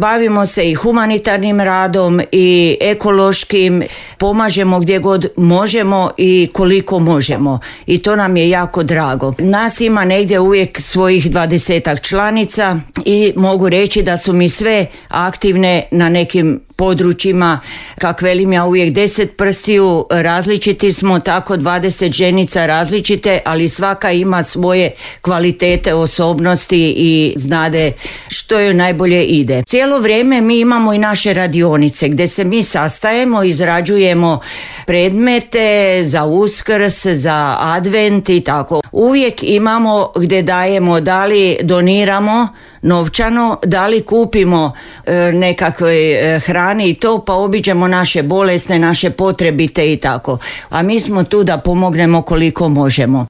Bavimo se i humanitarnim radom i ekološkim, pomažemo gdje god možemo i koliko možemo i to nam je jako drago. Nas ima negdje uvijek svojih 20-ak članica i mogu reći da su mi sve aktivne na nekim područjima, kak velim ja uvijek 10 prstiju, različiti smo, tako 20 ženica različite, ali svaka ima svoje kvalitete, osobnosti i znade što joj najbolje ide. Cijelo vrijeme mi imamo i naše radionice gdje se mi sastajemo, izrađujemo predmete za Uskrs, za Advent i tako. Uvijek imamo gdje dajemo, da li doniramo novčano, da li kupimo nekakve hrani i to, pa obiđemo naše bolesne, naše potrebite i tako. A mi smo tu da pomognemo koliko možemo.